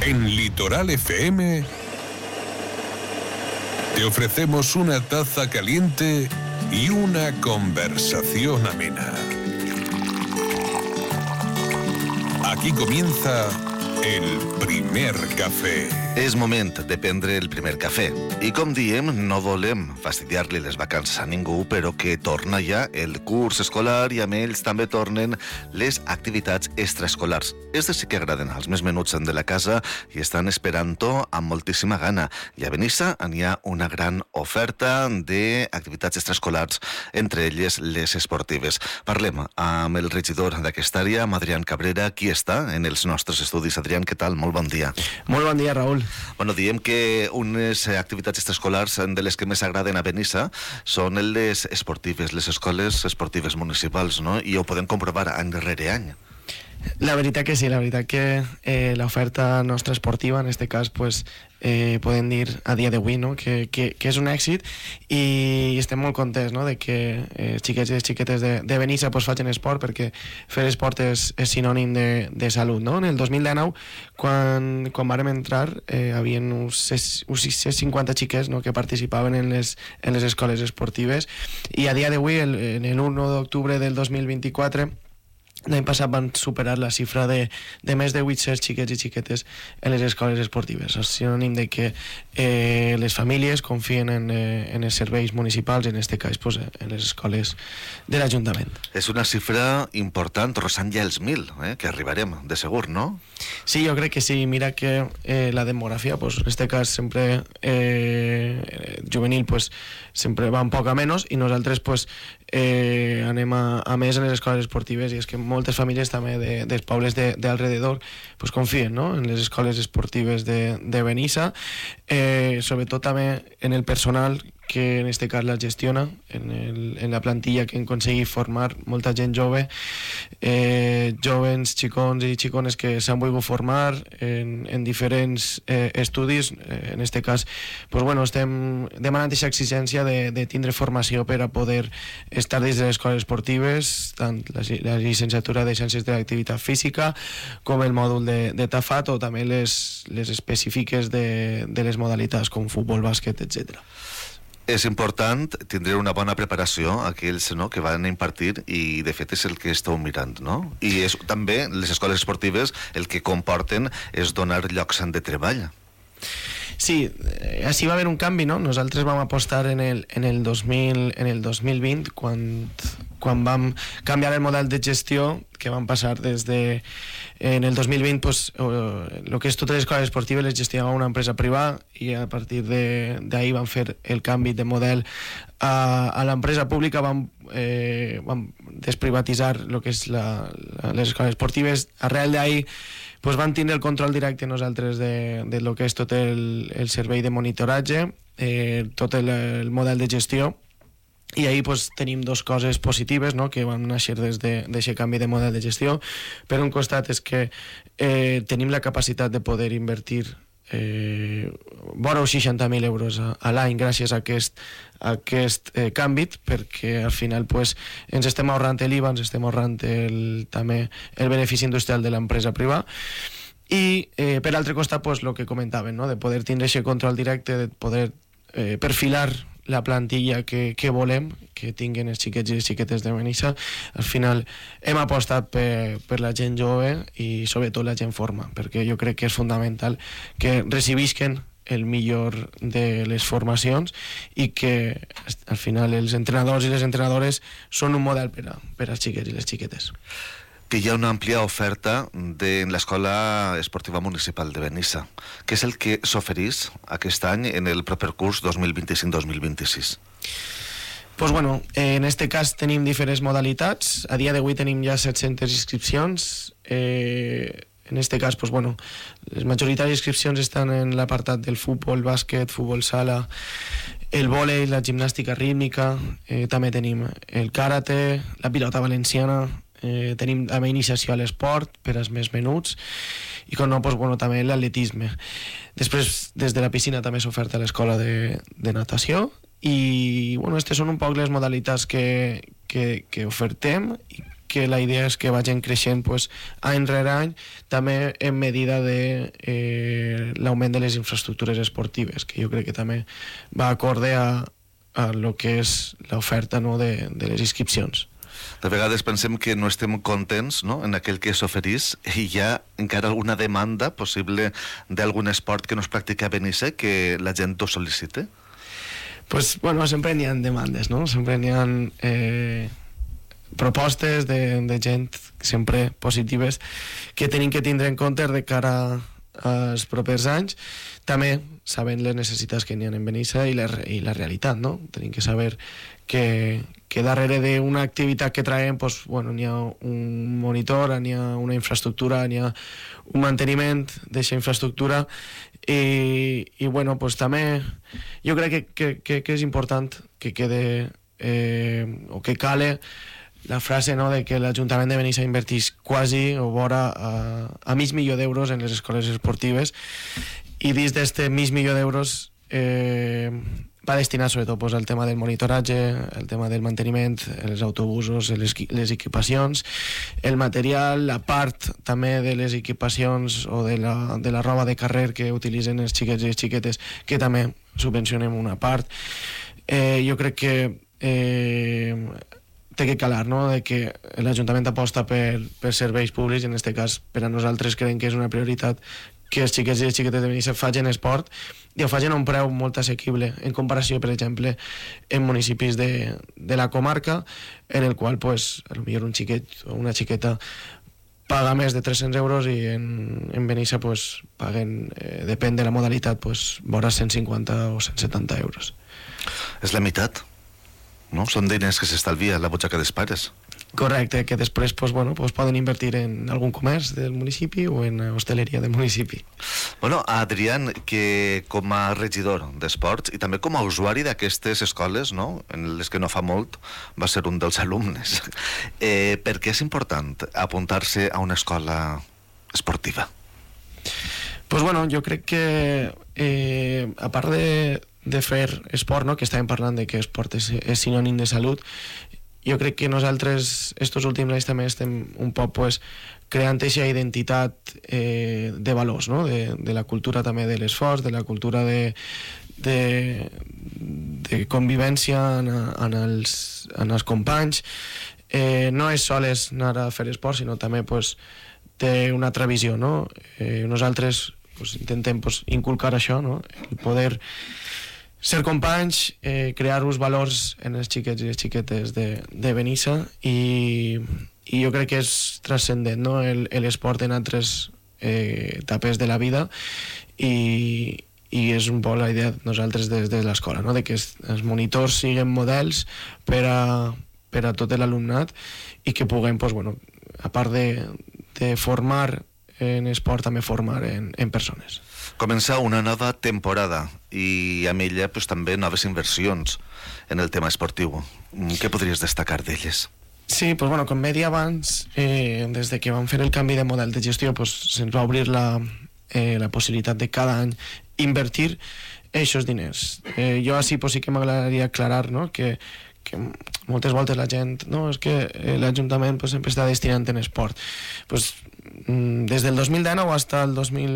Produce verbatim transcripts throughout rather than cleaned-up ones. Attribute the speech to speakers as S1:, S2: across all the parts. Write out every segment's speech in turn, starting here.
S1: En Litoral F M te ofrecemos una taza caliente y una conversación amena. Aquí comienza el primer cafè.
S2: És moment de prendre el primer cafè. I com diem, no volem fastidiar-li les vacances a ningú, però que torna ja el curs escolar i amb ells també tornen les activitats extraescolars. Estes sí que agraden als més menuts de la casa i estan esperant-ho amb moltíssima gana. I a Benissa hi ha una gran oferta d'activitats extraescolars, entre elles les esportives. Parlem amb el regidor d'aquesta àrea, amb Adrián Cabrera, qui està en els nostres estudis. Adrián, què tal? Molt bon dia.
S3: Molt bon dia, Raül.
S2: Bueno, diem que unes activitats extraescolars de les que més agraden a Benissa són les esportives, les escoles esportives municipals, no? I ho podem comprovar any rere any.
S3: La veritat que sí, la veritat que eh, l'oferta nostra esportiva, en este cas, pues, eh, podem dir a dia d'avui, no? que, que, que és un èxit i estem molt contents, no? de que eh, xiquets i xiquetes de, de Benissa pues, facin esport, perquè fer esport és, és sinònim de, de salut. No? En el dos mil dinou, quan, quan vàrem entrar, eh, havia uns, uns sis cents cinquanta xiquets, no? que participaven en les, en les escoles esportives, i a dia d'avui, el, en el u d'octubre del dos mil vint-i-quatre, l'any passat van superar la xifra de, de més de vuit-cents xiquets i xiquetes en les escoles esportives. És sinònim de que eh, les famílies confien en, eh, en els serveis municipals, en aquest cas pues, en les escoles de l'Ajuntament.
S2: És una xifra important, rozant ja els mil, eh, que arribarem, de segur, no?
S3: Sí, jo crec que sí. Mira que eh, la demografia, pues, en aquest cas sempre eh, juvenil, pues, sempre va un poc a menys i nosaltres pues, eh, anem a, a més en les escoles esportives, i és que moltes famílies també de, dels pobles de, de alrededor pues, confien, no? en les escoles esportives de, de Benissa, eh, sobretot també en el personal que en este cas la gestiona, en, el, en la plantilla que hem aconseguit formar molta gent jove, eh, jovens, xicons i xicones que s'han volgut formar en, en diferents eh, estudis. Eh, en este cas pues, bueno, estem demanant aquesta exigència de, de tindre formació per a poder estar dins de les escoles esportives, tant la, la llicenciatura de Ciències de l'Activitat Física com el mòdul de, de Tafat, o també les, les específiques de, de les modalitats com futbol, bàsquet, etcètera.
S2: És important tindre una bona preparació a aquells, no?, que van a impartir, i de fet és el que esteu mirant, no? I és també les escoles esportives el que comporten és donar llocs de treball.
S3: Sí, així va haver un canvi, no? Nosaltres vam apostar en el, en el, dos mil, en el dos mil vint, quan, quan vam canviar el model de gestió, que vam passar des de... En el dos mil vint, pues, el que és totes les escoles esportives les gestionava una empresa privada, i a partir d'ahir vam fer el canvi de model a, a l'empresa pública. Vam, eh, vam desprivatitzar el que és la, la, les escoles esportives. Arrel d'ahir pues, vam tindre el control directe nosaltres de, de lo que és tot el, el servei de monitoratge, eh, tot el, el model de gestió. I ahir pues, tenim dues coses positives, no?, que van néixer des d'aquest de, canvi de model de gestió. Per un costat és que eh, tenim la capacitat de poder invertir eh, vora uns seixanta mil euros a, a l'any gràcies a aquest, a aquest eh, canvi, perquè al final pues, ens estem ahorrant l'I V A, ens estem ahorrant el, també el benefici industrial de l'empresa privada. I eh, per altre costat, pues, el que comentaven, no?, de poder tindre aquest control directe, de poder eh, perfilar la plantilla que, que volem que tinguin els xiquets i les xiquetes de Benissa. Al final hem apostat per, per la gent jove i sobretot la gent forma, perquè jo crec que és fundamental que recibisquen el millor de les formacions i que al final els entrenadors i les entrenadores són un model per, a, per als xiquets i les xiquetes.
S2: Que hi ha una àmplia oferta de l'Escola Esportiva Municipal de Benissa. Què és el que s'oferís aquest any en el proper curs dos mil vint-i-cinc dos mil vint-i-sis?
S3: Pues bueno, en este cas tenim diferents modalitats. A dia d'avui tenim ja set-centes inscripcions. Eh, en este cas, pues bueno, les majoritàries inscripcions estan en l'apartat del futbol, bàsquet, futbol sala, el vòlei, la gimnàstica rítmica, eh, també tenim el karate, la pilota valenciana, eh, tenim també iniciació a l'esport per als més menuts i com no, pues, bueno, també l'atletisme. Després, des de la piscina també s'oferta l'escola de, de natació i bueno, aquestes són un poc les modalitats que, que, que ofertem i que la idea és que vagin creixent pues, any rere any, també en medida de eh, l'augment de les infraestructures esportives, que jo crec que també va acorde a, a lo que és l'oferta, no, de, de les inscripcions.
S2: De vegades pensem que no estem contents, no?, en aquell que s'oferís, i hi ha encara alguna demanda possible d'algun esport que no es practica a Benissa que la gent ho sol·licite?
S3: Pues, bueno, sempre n'hi ha demandes, no? Sempre n'hi ha eh, propostes de, de gent sempre positives que tenim que tindre en compte de cara als propers anys, també sabent les necessitats que n'hi ha en Benissa i la, i la realitat, no? Tenim que saber que, que darrere d'una activitat que traiem pues, bueno, n'hi ha un monitor, n'hi ha una infraestructura, n'hi ha un manteniment d'aquesta infraestructura i, i bueno, pues, també jo crec que, que, que, que és important que quede eh, o que cale la frase, no, de que l'Ajuntament de Benissa invertís quasi o vora a, a mig milió d'euros en les escoles esportives i dins d'aquest mig milió d'euros eh, va destinat sobretot pues, al tema del monitoratge, el tema del manteniment, els autobusos, les, les equipacions, el material, la part també de les equipacions o de la, de la roba de carrer que utilitzen els xiquets i les xiquetes, que també subvencionem una part. Eh, jo crec que eh, té que calar, no?, de que l'Ajuntament aposta per, per serveis públics, i en aquest cas per a nosaltres creiem que és una prioritat que els xiquets i les xiquetes de Benissa facin esport i ho facin a un preu molt assequible en comparació, per exemple, en municipis de, de la comarca, en el qual, pues, potser un xiquet o una xiqueta paga més de tres-cents euros i en, en Benissa pues, paguen, eh, depèn de la modalitat, pues, vora cent cinquanta o cent setanta euros.
S2: És la meitat, no? Són diners que s'estalvia a la butxaca dels pares.
S3: Correcte, que després pues, bueno, pues, poden invertir en algun comerç del municipi o en hostaleria del municipi.
S2: Bueno, Adrián, que com a regidor d'esports i també com a usuari d'aquestes escoles, no?, en les que no fa molt va ser un dels alumnes, eh, per què és important apuntar-se a una escola esportiva?
S3: Pues bueno, jo crec que eh, a part de, de fer esport, no?, que estàvem parlant de que esport és, és sinònim de salut, jo crec que nosaltres estos últims anys també estem un poc pues, creant aquesta identitat eh, de valors, no? de, de la cultura també de l'esforç, de la cultura de, de, de convivència en, en, els, en els companys. Eh, no és sols anar a fer esport, sinó també pues, té una altra visió. No? Eh, nosaltres pues, intentem pues, inculcar això, no? El poder ser companys, eh, crear uns valors en els xiquets i les xiquetes de, de Benissa i, i jo crec que és transcendent, no?, l'esport en altres eh, etapes de la vida i, i és un poc la idea nosaltres des de l'escola, no?, de que els, els monitors siguin models per a, per a tot l'alumnat i que puguem, pues, bueno, a part de, de formar en esport, també formar en, en persones.
S2: Comença una nova temporada i amb ella pues, també noves inversions en el tema esportiu. Què podries destacar d'elles?
S3: Sí, pues, bueno, com bé dia abans, eh, des de que vam fer el canvi de model de gestió, pues, se'ns va obrir la, eh, la possibilitat de cada any invertir aquests diners. Eh, jo així pues, sí que m'agradaria aclarar, no?, que que moltes voltes la gent, no, és que l'Ajuntament pues, sempre està destinant en esport. Pues, des del dos mil dinou fins al dos mil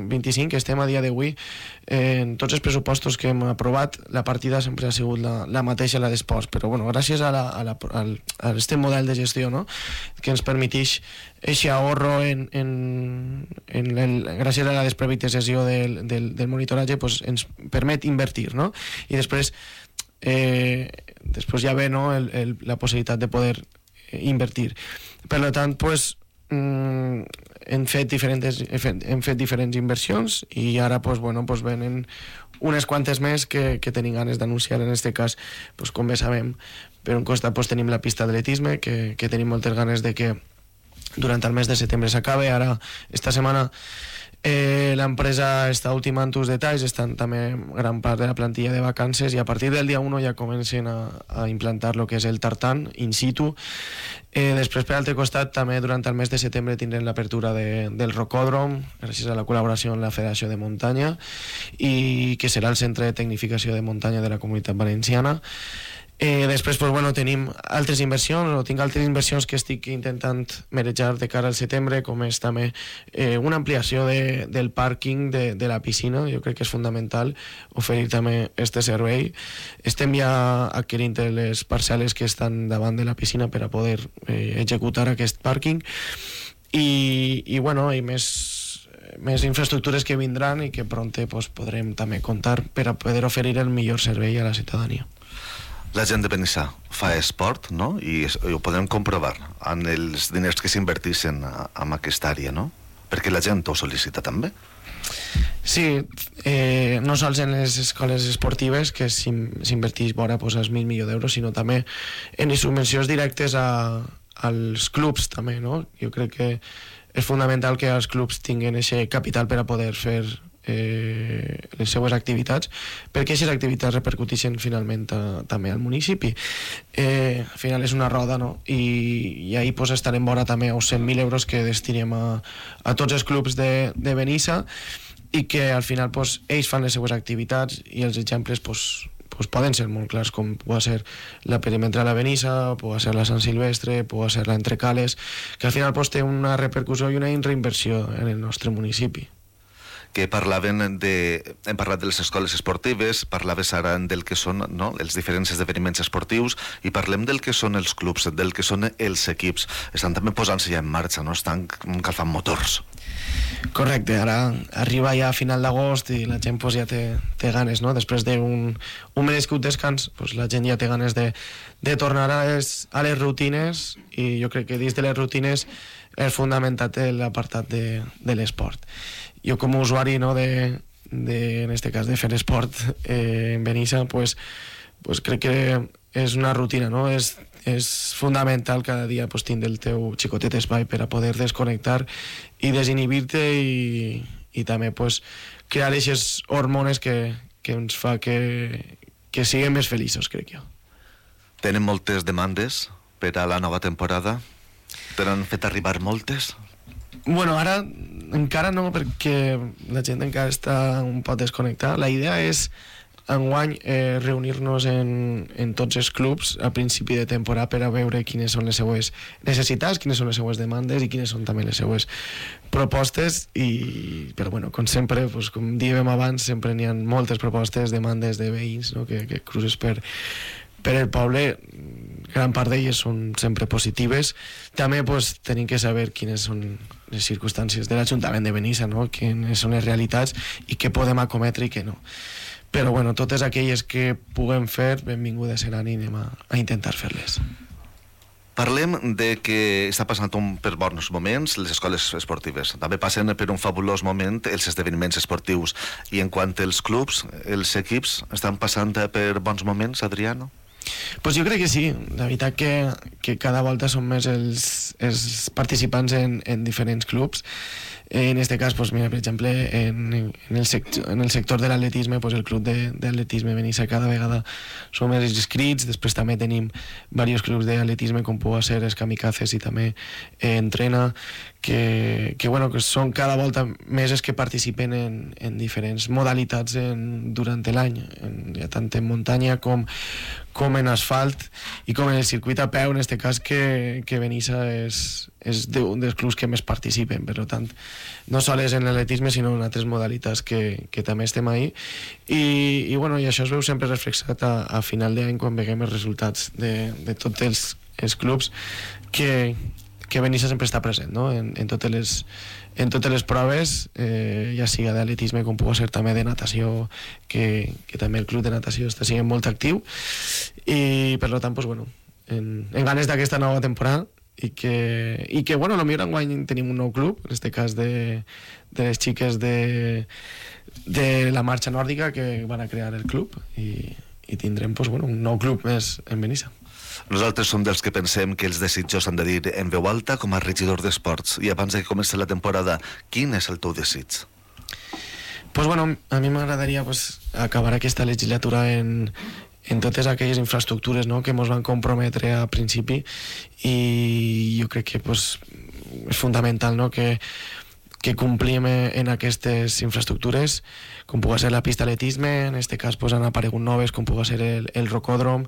S3: vint-i-cinc, que estem a dia d'avui, eh, en tots els pressupostos que hem aprovat, la partida sempre ha sigut la, la mateixa, la d'esports, però bueno, gràcies a, la, a, la, al, a este model de gestió, no?, que ens permeteix aquest ahorro en, en, en el, gràcies a la desprivatització del, del, del monitoratge, pues, ens permet invertir, no?, i després Eh, després ja ve, no, el, el, la possibilitat de poder eh, invertir. Per tant, pues, mm, hem, fet diferents, hem fet diferents inversions i ara pues, bueno, pues, venen unes quantes més que, que tenim ganes d'anunciar. En aquest cas, pues, com bé sabem, per un costat pues, tenim la pista d'atletisme, que, que tenim moltes ganes de que durant el mes de setembre s'acabe. Ara, esta setmana, Eh, l'empresa està ultimant uns detalls, estan també gran part de la plantilla de vacances i a partir del dia u ja comencen a, a implantar el que és el tartan in situ. Eh, després, per altre costat, també durant el mes de setembre tindrem l'apertura de, del rocòdrom, gràcies a la col·laboració amb la Federació de Muntanya, i que serà el centre de tecnificació de muntanya de la Comunitat Valenciana. Eh, després pues, bueno, tenim altres inversions, o tinc altres inversions que estic intentant manejar de cara al setembre, com és també eh, una ampliació de, del pàrquing de, de la piscina. Jo crec que és fundamental oferir també este servei. Estem ja adquirint les parcel·les que estan davant de la piscina per a poder eh, executar aquest pàrquing i, i, bueno, i més més infraestructures que vindran i que pronte pues, podrem també comptar per a poder oferir el millor servei a la ciutadania.
S2: La gent de Benissa fa esport, no? I, i ho podem comprovar en els diners que s'inverteixen en aquesta àrea, no? Perquè la gent ho sol·licita també.
S3: Sí, eh, no sols en les escoles esportives que s'inverteix vora pues, els mil milions d'euros, sinó també en les subvencions directes a, als clubs també, no? Jo crec que és fundamental que els clubs tinguin aquest capital per a poder fer eh, les seues activitats, perquè aquestes activitats repercuteixen finalment a, també al municipi. Eh, al final és una roda, no? I, i ahir pues, estarem vora també els cent mil euros que destinem a, a tots els clubs de, de Benissa i que al final pues, ells fan les seues activitats i els exemples pues, pues poden ser molt clars, com pot ser la perimetral a Benissa, pot ser la Sant Silvestre, pot ser la Entrecales, que al final pues, té una repercussió i una reinversió en el nostre municipi.
S2: Que parlaven de... Hem parlat de les escoles esportives, parlaves ara del que són, no?, els diferents esdeveniments esportius, i parlem del que són els clubs, del que són els equips. Estan també posant-se ja en marxa, no? Estan calfant motors.
S3: Correcte, ara arriba ja a final d'agost i la gent pues, ja té, té ganes, no? Després d'un un merescut descans, pues, la gent ja té ganes de, de tornar a les, a les rutines, i jo crec que dins de les rutines és fundamental l'apartat de, de l'esport. Jo com a usuari, no, de, de, en este cas de fer esport eh, en Benissa, pues, pues crec que és una rutina, no? És, és fundamental cada dia pues, tindre el teu xicotet espai per a poder desconnectar i desinhibir-te i, i també pues, crear aquestes hormones que, que ens fa que, que siguem més feliços, crec jo.
S2: Tenen moltes demandes per a la nova temporada? T'han fet arribar moltes?
S3: Bueno, ara encara no, perquè la gent encara està un poc desconnectada. La idea és enguany eh, reunir-nos en, en tots els clubs a principi de temporada per a veure quines són les seues necessitats, quines són les seues demandes i quines són també les seues propostes. I, però bueno, com sempre, pues, com dèiem abans, sempre n'hi ha moltes propostes, demandes de veïns, no?, que, que cruces per, per el poble. Gran part d'elles són sempre positives. També pues, tenim que saber quines són les circumstàncies de l'Ajuntament de Benissa, no?, quines són les realitats i què podem acometre i què no. Però bueno, totes aquelles que puguem fer, benvingudes seran i anem a, a intentar fer-les.
S2: Parlem de que està passant un, per bons moments les escoles esportives. També passen per un fabulós moment els esdeveniments esportius. I en quant als clubs, els equips, estan passant per bons moments, Adriano?
S3: Pues jo crec que sí. La veritat que, que cada volta són més els, els participants en, en diferents clubs. En este cas, pues mira, per exemple, en, en, el, sector, en el sector de l'atletisme, pues el club d'atletisme Benissa cada vegada som més inscrits. Després també tenim diversos clubs d'atletisme, com pugui ser els Kamikazes i també eh, Entrena, que, que, bueno, que són cada volta més els que participen en, en diferents modalitats en, durant l'any, ja tant en muntanya com, com en asfalt i com en el circuit a peu, en este cas que, que Benissa és, és un dels clubs que més participen. Per tant, no sols en l'atletisme sinó en altres modalitats que, que també estem ahí i, i, bueno, i això es veu sempre reflexat a, a final d'any quan veiem els resultats de, de tots els, els clubs que, que Benissa sempre està present, no? en, en, totes les, en totes les proves, eh, ja siga d'atletisme com pugui ser també de natació, que, que també el club de natació està sent molt actiu i per tant, pues, bueno, en, en ganes d'aquesta nova temporada i que, i que bueno, potser enguany tenim un nou club, en aquest cas de, de les xiques de, de la marxa nòrdica que van a crear el club i, i tindrem pues, bueno, un nou club més en Benissa.
S2: Nosaltres som dels que pensem que els desitjos s'han de dir en veu alta com a regidor d'esports. I abans de que comenci la temporada, quin és el teu desig?
S3: Pues bueno, a mi m'agradaria pues, acabar aquesta legislatura en, en totes aquelles infraestructures, no?, que ens van comprometre a principi i jo crec que pues, és fundamental, no?, que que complim en aquestes infraestructures, com pugui ser la pista d'atletisme, en aquest cas pues, han aparegut noves, com pugui ser el, el rocòdrom,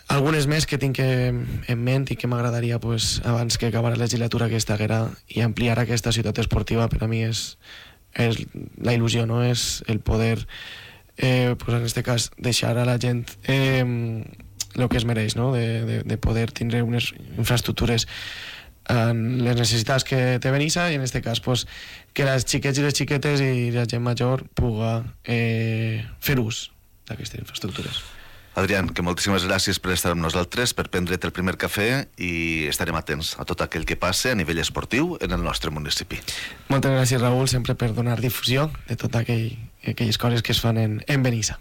S3: algunes més que tinc en ment i que m'agradaria, pues, abans que acabar la legislatura aquesta haguera, i ampliar aquesta ciutat esportiva. Per a mi és, és la il·lusió, no? És el poder, eh, pues en este cas, deixar a la gent eh, el que es mereix, no? De, de, de poder tindre unes infraestructures en les necessitats que té Benissa, i en este cas, pues, que les xiquets i les xiquetes i la gent major puga eh, fer ús d'aquestes infraestructures.
S2: Adrián, que moltíssimes gràcies per estar amb nosaltres, per prendre't el primer cafè, i estarem atents a tot aquell que passe a nivell esportiu en el nostre municipi.
S3: Moltes gràcies, Raül, sempre per donar difusió de totes aquell, aquelles coses que es fan en, en Benissa.